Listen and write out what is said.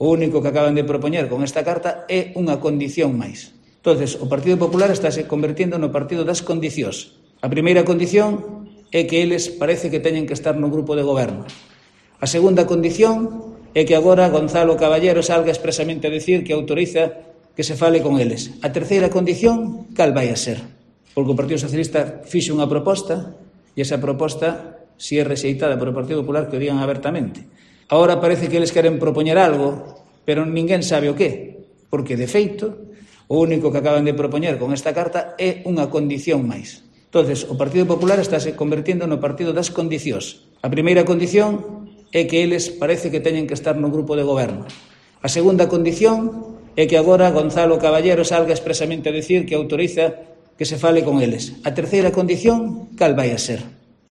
O único que acaban de propoñer con esta carta é unha condición máis. Entonces, o Partido Popular estáse convertindo no partido das condicións. A primeira condición é que eles parece que teñen que estar no grupo de goberno. A segunda condición é que agora Gonzalo Caballero salga expresamente a decir que autoriza que se fale con eles. A terceira condición, cal vai a ser? Porque o Partido Socialista fixe unha proposta e esa proposta, se é rexeitada por o Partido Popular, que o digan abertamente. Agora parece que eles queren propoñer algo, pero ninguén sabe o que, porque, de feito, o único que acaban de propoñer con esta carta é unha condición máis. Entonces, o Partido Popular estáse convertindo no partido das condicións. A primeira condición é que eles parece que teñen que estar no grupo de goberno. A segunda condición é que agora Gonzalo Caballero salga expresamente a decir que autoriza que se fale con eles. A terceira condición, cal vai a ser?